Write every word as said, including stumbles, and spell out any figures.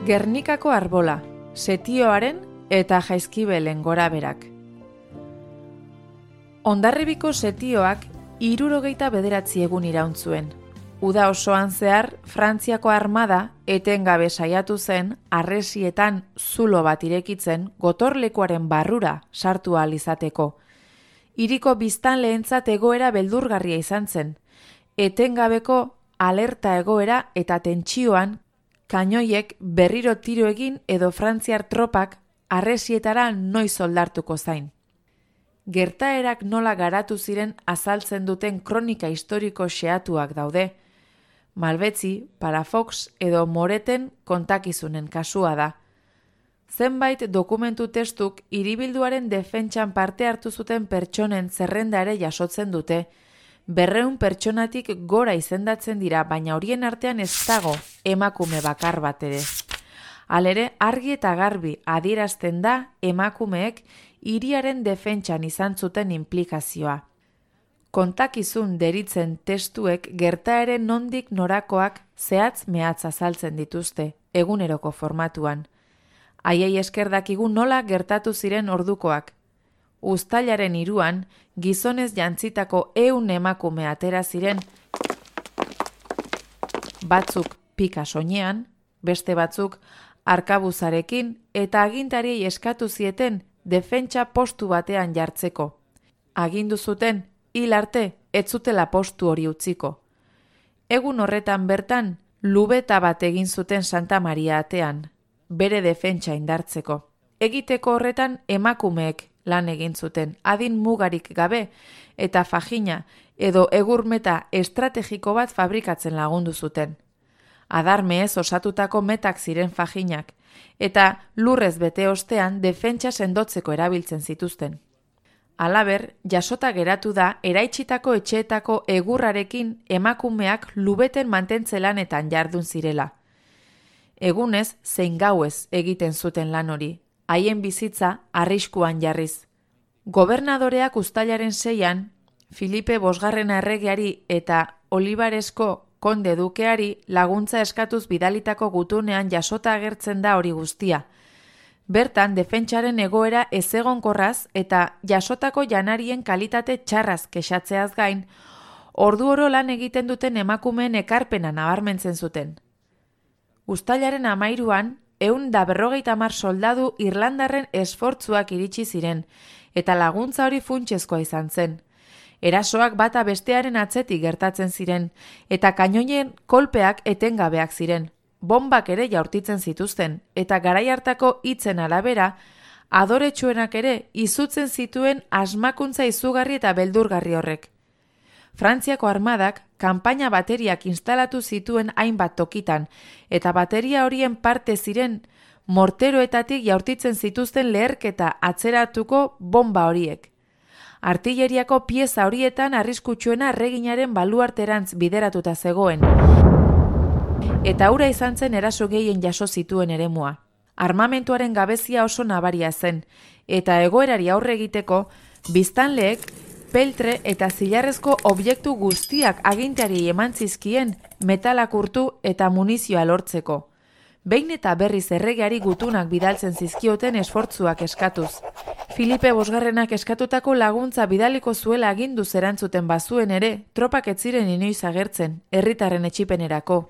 Gernikako arbola, setioaren eta jaizkibelen goraberak. Hondarribiko setioak hirurogeita bederatzi egun iraun zuen. Uda osoan zehar, Frantziako armada etengabe saiatu zen harresietan zulo bat irekitzen gotorlekuaren barrura sartu ahal izateko. Hiriko biztanleentzat egoera beldurgarria izan zen. Etengabeko alerta egoera eta tentsioan kainoiek berriro tiro egin edo frantziar tropak harresietara noiz oldartuko zain. Gertaerak nola garatu ziren azaltzen duten kronika historiko xehatuak daude. Malbetzi, Palafox edo Moreten kontakizunen kasua da. Zenbait dokumentu testuk hiribilduaren defentsan parte hartu zuten pertsonen zerrenda ere jasotzen dute. Berreun pertsonatik gora izendatzen dira, baina horien artean ez dago emakume bakar bat ere. Halere, argi eta garbi adierazten da emakumeek hiriaren defentsan izan zuten inplikazioa. Kontakizun deritzen testuek gertaeren nondik norakoak zehatz mehatz azaltzen dituzte, eguneroko formatuan. Haiei esker dakigu nola gertatu ziren ordukoak. Uztailaren hiruan, gizonez jantzitako ehun emakume atera ziren, batzuk pika soinean, beste batzuk arkabuzarekin eta agintariei eskatu zieten defentsa postu batean jartzeko. Agindu zuten, hil arte, ez zutela postu hori utziko. Egun horretan bertan, lubeta bat egin zuten Santa Maria atean, bere defentsa indartzeko. Egiteko horretan emakumeek lan egin zuten, adin mugarik gabe eta fajina edo egurmeta estrategiko bat fabrikatzen lagundu zuten. Adarmeez osatutako metak ziren fajinak, eta lurrez bete ostean defentsa sendotzeko erabiltzen zituzten. Halaber, jasota geratu da eraitsitako etxeetako egurrarekin emakumeak lubeten mantentze lanetan jardun zirela. Egunez zein gauez egiten zuten lan hori, haien bizitza arriskuan jarriz. Gobernadoreak uztailaren seian, Filipe bosgarren erregeari eta Olibaresko konde dukeari laguntza eskatuz bidalitako gutunean jasota agertzen da hori guztia. Bertan, defentsaren egoera ezegonkorraz eta jasotako janarien kalitate txarraz kexatzeaz gain, ordu oro lan egiten duten emakumeen ekarpena nabarmentzen zuten. Uztailaren hamairuan, ehun da berrogeita hamar soldadu irlandarren esfortzuak iritsi ziren, eta laguntza hori funtsezkoa izan zen. Erasoak bata bestearen atzetik gertatzen ziren, eta kainoien kolpeak etengabeak ziren. Bombak ere jaurtitzen zituzten, eta garai hartako hitzen arabera, adoretsuenak ere izutzen zituen asmakuntza izugarri eta beldurgarri horrek. Frantziako armadak kanpaina bateriak instalatu zituen hainbat tokitan, eta bateria horien parte ziren morteroetatik jaurtitzen zituzten leherketa atzeratuko bomba horiek. Artilleriako pieza horietan arriskutsuena erreginaren baluarterantz bideratuta zegoen, eta hura izan zen eraso gehien jaso zituen eremua. Armamentuaren gabezia oso nabaria zen, eta egoerari aurre egiteko, biztanleek peltre eta zilarrezko objektu guztiak aginteari eman zizkien metalak urtu eta munizioa lortzeko. Behin eta berriz erregeari gutunak bidaltzen zizkioten esfortzuak eskatuz. Filipe bosgarrenak eskatutako laguntza bidaliko zuela agindu zerantzuten bazuen ere, tropak ez ziren inoiz agertzen, herritarren etsipenerako.